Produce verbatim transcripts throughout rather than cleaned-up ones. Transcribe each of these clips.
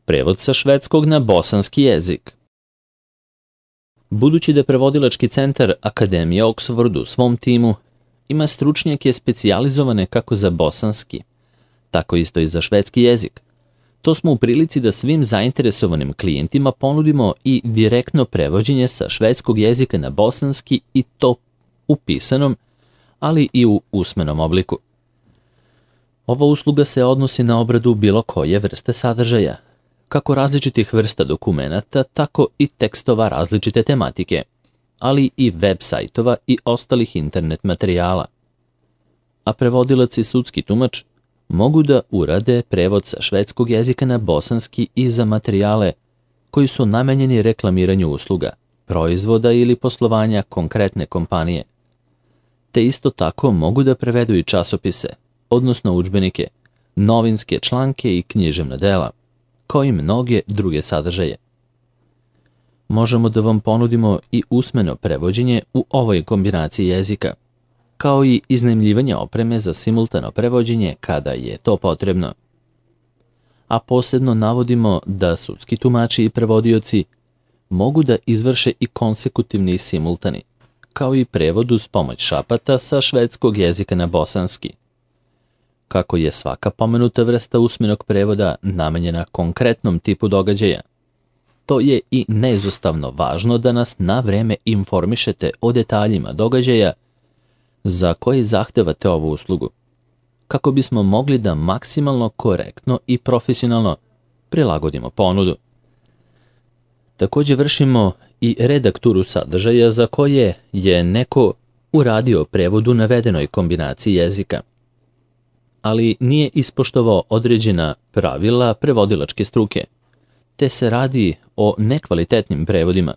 Prevod sa švedskog na bosanski jezik. Budući da prevodilački centar Akademije Oxford u svom timu ima stručnjake specijalizovane kako za bosanski, tako isto i za švedski jezik, to smo u prilici da svim zainteresovanim klijentima ponudimo i direktno prevođenje sa švedskog jezika na bosanski, i to u pisanom, ali i u usmenom obliku. Ova usluga se odnosi na obradu bilo koje vrste sadržaja, kako različitih vrsta dokumenata, tako i tekstova različite tematike, ali i web sajtova i ostalih internet materijala. A prevodilac i sudski tumač mogu da urade prevod sa švedskog jezika na bosanski i za materijale koji su namenjeni reklamiranju usluga, proizvoda ili poslovanja konkretne kompanije. Te isto tako mogu da prevedu i časopise, odnosno udžbenike, novinske članke i književna dela, kao i mnoge druge sadržaje. Možemo da vam ponudimo i usmeno prevođenje u ovoj kombinaciji jezika, kao i iznajmljivanje opreme za simultano prevođenje kada je to potrebno. A posebno navodimo da sudski tumači i prevodioci mogu da izvrše i konsekutivni i simultani, kao i prevod uz pomoć šapata sa švedskog jezika na bosanski. Kako je svaka pomenuta vrsta usmenog prevoda namenjena konkretnom tipu događaja, to je i neizostavno važno da nas na vreme informišete o detaljima događaja za koji zahtevate ovu uslugu, kako bismo mogli da maksimalno korektno i profesionalno prilagodimo ponudu. Također vršimo i redakturu sadržaja za koje je neko uradio prevod u navedenoj kombinaciji jezika, ali nije ispoštovao određena pravila prevodilačke struke, te se radi o nekvalitetnim prevodima,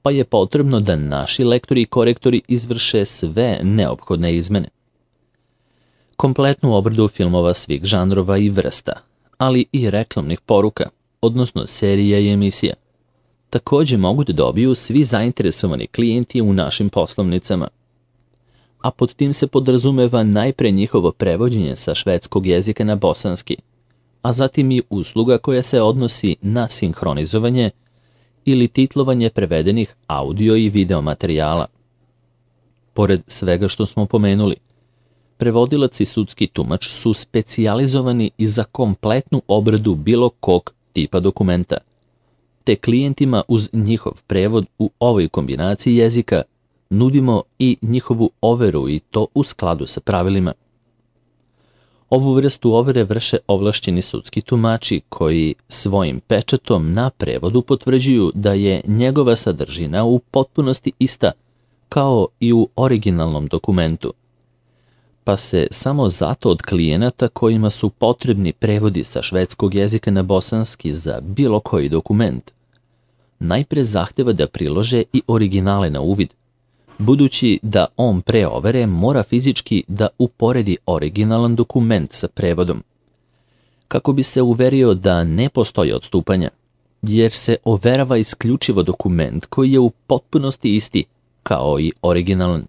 pa je potrebno da naši lektori i korektori izvrše sve neophodne izmene. Kompletnu obradu filmova svih žanrova i vrsta, ali i reklamnih poruka, odnosno serija i emisija, također mogu da dobiju svi zainteresovani klijenti u našim poslovnicama, a pod tim se podrazumeva najpre njihovo prevođenje sa švedskog jezika na bosanski, a zatim i usluga koja se odnosi na sinhronizovanje ili titlovanje prevedenih audio i video materijala. Pored svega što smo pomenuli, prevodilac i sudski tumač su specijalizovani i za kompletnu obradu bilo kog tipa dokumenta, te klijentima uz njihov prevod u ovoj kombinaciji jezika nudimo i njihovu overu, i to u skladu sa pravilima. Ovu vrstu overe vrše ovlašćeni sudski tumači koji svojim pečatom na prevodu potvrđuju da je njegova sadržina u potpunosti ista kao i u originalnom dokumentu, pa se samo zato od klijenata kojima su potrebni prevodi sa švedskog jezika na bosanski za bilo koji dokument najpre zahteva da prilože i originale na uvid, budući da on pre overe mora fizički da uporedi originalan dokument sa prevodom, kako bi se uverio da ne postoji odstupanja, jer se overava isključivo dokument koji je u potpunosti isti kao i originalan.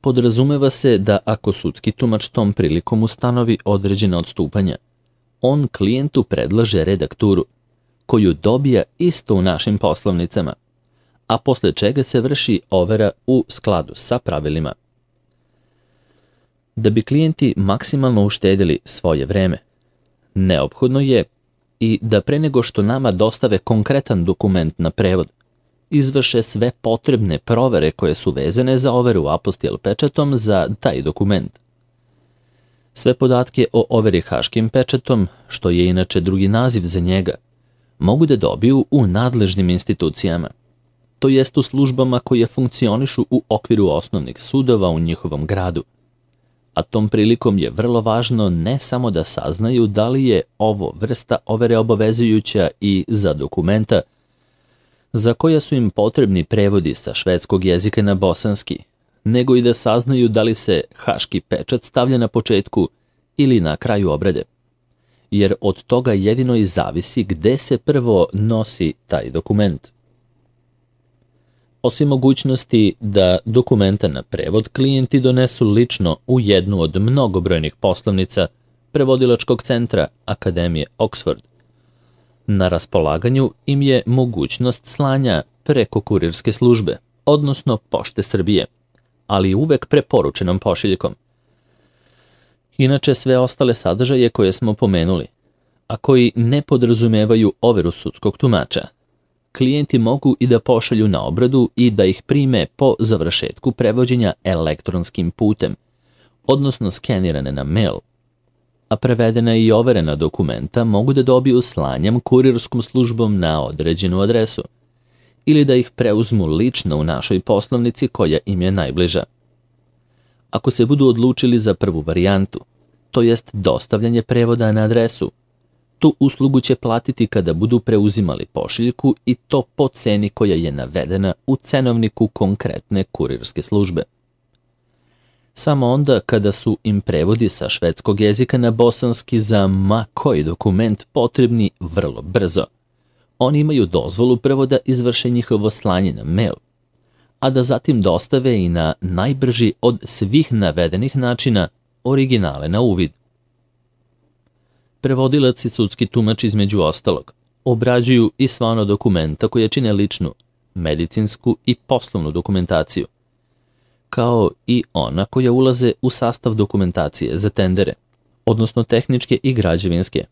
Podrazumeva se da ako sudski tumač tom prilikom ustanovi određena odstupanja, on klijentu predlaže redakturu, koju dobija isto u našim poslovnicama, a posle čega se vrši overa u skladu sa pravilima. Da bi klijenti maksimalno uštedili svoje vreme, neophodno je i da pre nego što nama dostave konkretan dokument na prevod, izvrše sve potrebne provere koje su vezane za overu apostil pečatom za taj dokument. Sve podatke o overi haškim pečatom, što je inače drugi naziv za njega, mogu da dobiju u nadležnim institucijama, to jest u službama koje funkcionišu u okviru osnovnih sudova u njihovom gradu. A tom prilikom je vrlo važno ne samo da saznaju da li je ovo vrsta overe obavezujuća i za dokumenta za koja su im potrebni prevodi sa švedskog jezika na bosanski, nego i da saznaju da li se haški pečat stavlja na početku ili na kraju obrade, jer od toga jedino i zavisi gde se prvo nosi taj dokument. Osim mogućnosti da dokumenta na prevod klijenti donesu lično u jednu od mnogobrojnih poslovnica prevodilačkog centra Akademije Oxford, Na raspolaganju im je mogućnost slanja preko kurirske službe, odnosno Pošte Srbije, ali uvek preporučenom pošiljkom. Inače, sve ostale sadržaje koje smo pomenuli, a koji ne podrazumevaju overu sudskog tumača, klijenti mogu i da pošalju na obradu i da ih prime po završetku prevođenja elektronskim putem, odnosno skenirane na mail, a prevedena i overena dokumenta mogu da dobiju slanjem kurirskom službom na određenu adresu ili da ih preuzmu lično u našoj poslovnici koja im je najbliža. Ako se budu odlučili za prvu varijantu, to jest dostavljanje prevoda na adresu, tu uslugu će platiti kada budu preuzimali pošiljku i to po ceni koja je navedena u cenovniku konkretne kurirske službe. Samo onda kada su im prevodi sa švedskog jezika na bosanski za ma koji dokument potrebni vrlo brzo, oni imaju dozvolu prvo da izvrše njihovo slanje na mail, a da zatim dostave i na najbrži od svih navedenih načina originale na uvid. Prevodilac i sudski tumač između ostalog obrađuju i sva ona dokumenta koje čine ličnu, medicinsku i poslovnu dokumentaciju, kao i ona koja ulaze u sastav dokumentacije za tendere, odnosno tehničke i građevinske.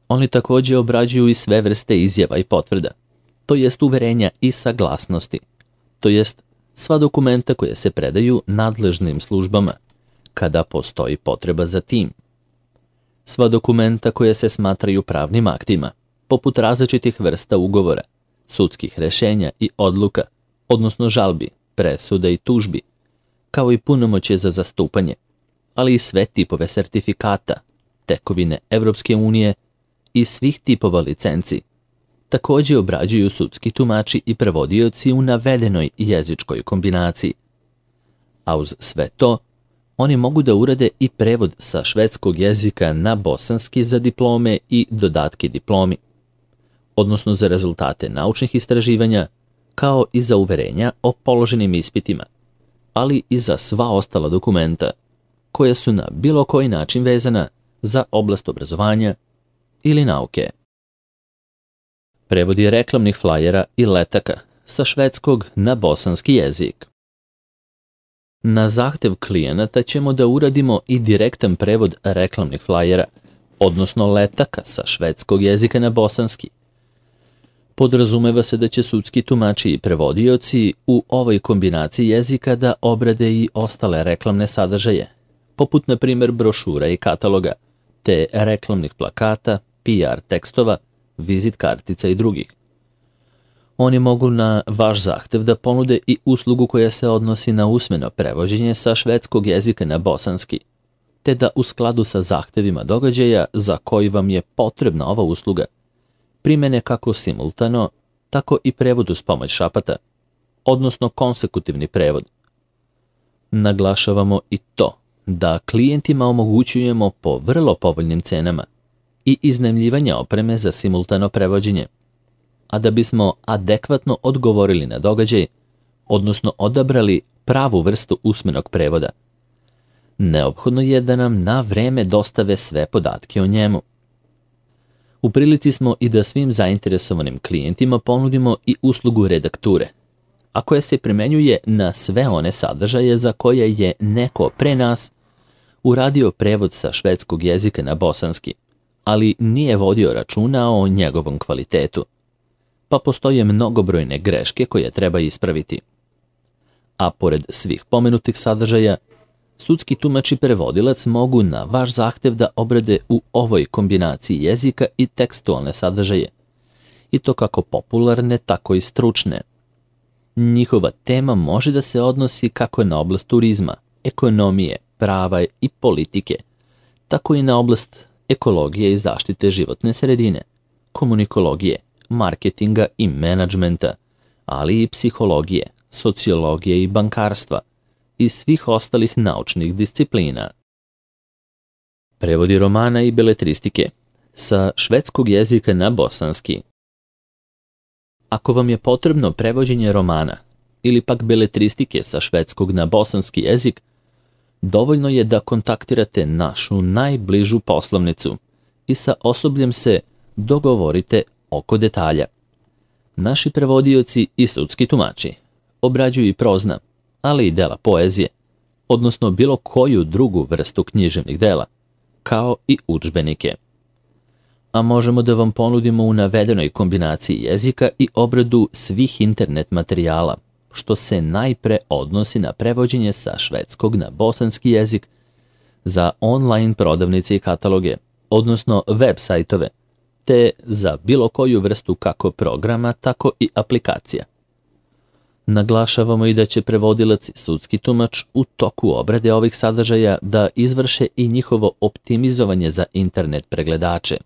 Oni takođe obrađuju i sve vrste izjava i potvrda, to jest uverenja i saglasnosti, to jest sva dokumenta koje se predaju nadležnim službama, kada postoji potreba za tim. Sva dokumenta koje se smatraju pravnim aktima, poput različitih vrsta ugovora, sudskih rešenja i odluka, odnosno žalbi, presuda i tužbi, kao i punomoćje za zastupanje, ali i sve tipove sertifikata, tekovine Evropske unije i svih tipova licenci, takođe obrađuju sudski tumači i prevodioci u navedenoj jezičkoj kombinaciji. A uz sve to, oni mogu da urade i prevod sa švedskog jezika na bosanski za diplome i dodatke diplomi, odnosno za rezultate naučnih istraživanja, kao i za uverenja o položenim ispitima, ali i za sva ostala dokumenta koja su na bilo koji način vezana za oblast obrazovanja ili nauke. Prevodi reklamnih flajera i letaka sa švedskog na bosanski jezik. Na zahtev klijenata ćemo da uradimo i direktan prevod reklamnih flajera, odnosno letaka sa švedskog jezika na bosanski. Podrazumeva se da će sudski tumači i prevodioci u ovoj kombinaciji jezika da obrade i ostale reklamne sadržaje, poput na primjer brošura i kataloga, te reklamnih plakata, P R tekstova, vizit kartica i drugih. Oni mogu na vaš zahtev da ponude i uslugu koja se odnosi na usmeno prevođenje sa švedskog jezika na bosanski, te da u skladu sa zahtevima događaja za koji vam je potrebna ova usluga, primene kako simultano, tako i prevod uz pomoć šapata, odnosno konsekutivni prevod. Naglašavamo i to da klijentima omogućujemo po vrlo povoljnim cenama i iznajmljivanje opreme za simultano prevođenje, a da bismo adekvatno odgovorili na događaj, odnosno odabrali pravu vrstu usmenog prevoda, neophodno je da nam na vreme dostave sve podatke o njemu. U prilici smo i da svim zainteresovanim klijentima ponudimo i uslugu redakture, a koja se primenjuje na sve one sadržaje za koje je neko pre nas uradio prevod sa švedskog jezika na bosanski, ali nije vodio računa o njegovom kvalitetu, pa postoje mnogobrojne greške koje treba ispraviti. A pored svih pomenutih sadržaja, sudski tumač i prevodilac mogu na vaš zahtev da obrade u ovoj kombinaciji jezika i tekstualne sadržaje, i to kako popularne, tako i stručne. Njihova tema može da se odnosi kako na oblast turizma, ekonomije, prava i politike, tako i na oblast ekologije i zaštite životne sredine, komunikologije, marketinga i menadžmenta, ali i psihologije, sociologije i bankarstva i svih ostalih naučnih disciplina. Prevodi romana i beletristike sa švedskog jezika na bosanski. Ako vam je potrebno prevođenje romana ili pak beletristike sa švedskog na bosanski jezik, dovoljno je da kontaktirate našu najbližu poslovnicu i sa osobljem se dogovorite oko detalja. Naši prevodioci i sudski tumači obrađuju i prozna, ali i dela poezije, odnosno bilo koju drugu vrstu književnih dela, kao i udžbenike. A možemo da vam ponudimo u navedenoj kombinaciji jezika i obradu svih internet materijala, što se najpre odnosi na prevođenje sa švedskog na bosanski jezik za online prodavnice i kataloge, odnosno web sajtove, te za bilo koju vrstu kako programa, tako i aplikacija. Naglašavamo i da će prevodilac i sudski tumač u toku obrade ovih sadržaja da izvrše i njihovo optimizovanje za internet pregledače.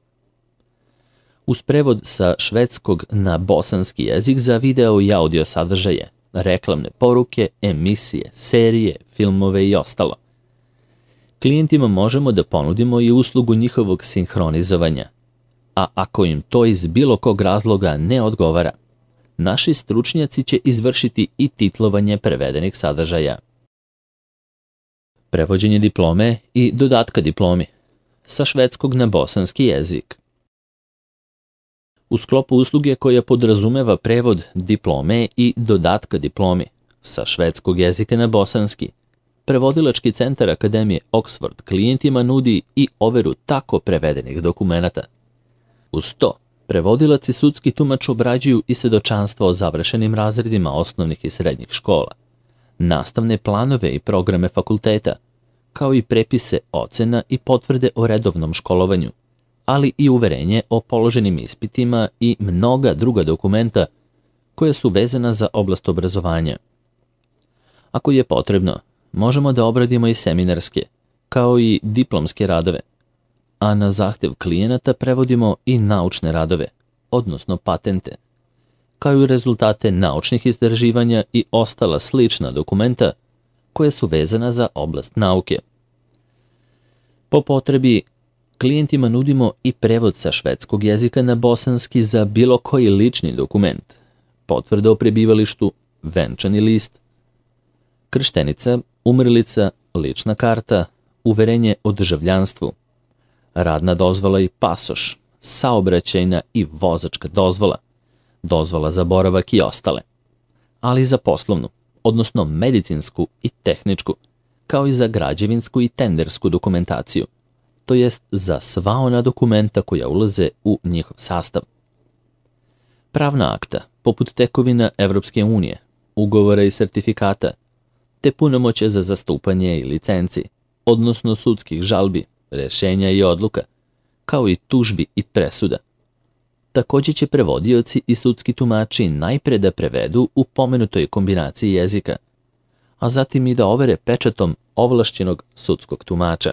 Uz prevod sa švedskog na bosanski jezik za video i audio sadržaje, reklamne poruke, emisije, serije, filmove i ostalo. Klijentima možemo da ponudimo i uslugu njihovog sinhronizovanja, a ako im to iz bilo kog razloga ne odgovara, naši stručnjaci će izvršiti i titlovanje prevedenih sadržaja. Prevođenje diplome i dodatka diplomi sa švedskog na bosanski jezik. U sklopu usluge koja podrazumeva prevod diplome i dodatka diplomi sa švedskog jezika na bosanski, Prevodilački centar Akademije Oxford klijentima nudi i overu tako prevedenih dokumenata. Uz to, prevodilac i sudski tumač obrađuju i svedočanstva o završenim razredima osnovnih i srednjih škola, nastavne planove i programe fakulteta, kao i prepise ocena i potvrde o redovnom školovanju, ali i uverenje o položenim ispitima i mnoga druga dokumenta koja su vezana za oblast obrazovanja. Ako je potrebno, možemo da obradimo i seminarske, kao i diplomske radove, a na zahtev klijenata prevodimo i naučne radove, odnosno patente, kao i rezultate naučnih istraživanja i ostala slična dokumenta koja su vezana za oblast nauke. Po potrebi, klijentima nudimo i prevod sa švedskog jezika na bosanski za bilo koji lični dokument, potvrda o prebivalištu, venčani list, krštenica, umrlica, lična karta, uverenje o državljanstvu, radna dozvola i pasoš, saobraćajna i vozačka dozvola, dozvola za boravak i ostale, ali i za poslovnu, odnosno medicinsku i tehničku, kao i za građevinsku i tendersku dokumentaciju, to jest za sva ona dokumenta koja ulaze u njihov sastav. Pravna akta, poput tekovina Evropske unije, ugovora i sertifikata, te punomoće za zastupanje i licenci, odnosno sudskih žalbi, rešenja i odluka, kao i tužbi i presuda. Također će prevodioci i sudski tumači najpre da prevedu u pomenutoj kombinaciji jezika, a zatim i da overe pečatom ovlašćenog sudskog tumača.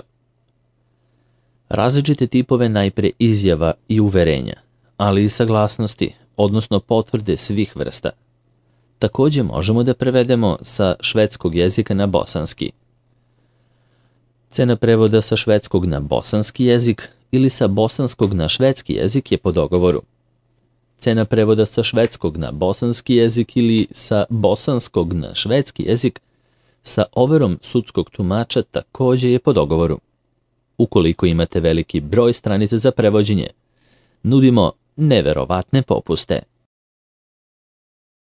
Različite tipove najpre izjava i uverenja, ali i saglasnosti, odnosno potvrde svih vrsta. Također možemo da prevedemo sa švedskog jezika na bosanski. Cena prevoda sa švedskog na bosanski jezik ili sa bosanskog na švedski jezik je po dogovoru. Cena prevoda sa švedskog na bosanski jezik ili sa bosanskog na švedski jezik sa overom sudskog tumača također je po dogovoru. Ukoliko imate veliki broj stranica za prevođenje, nudimo neverovatne popuste.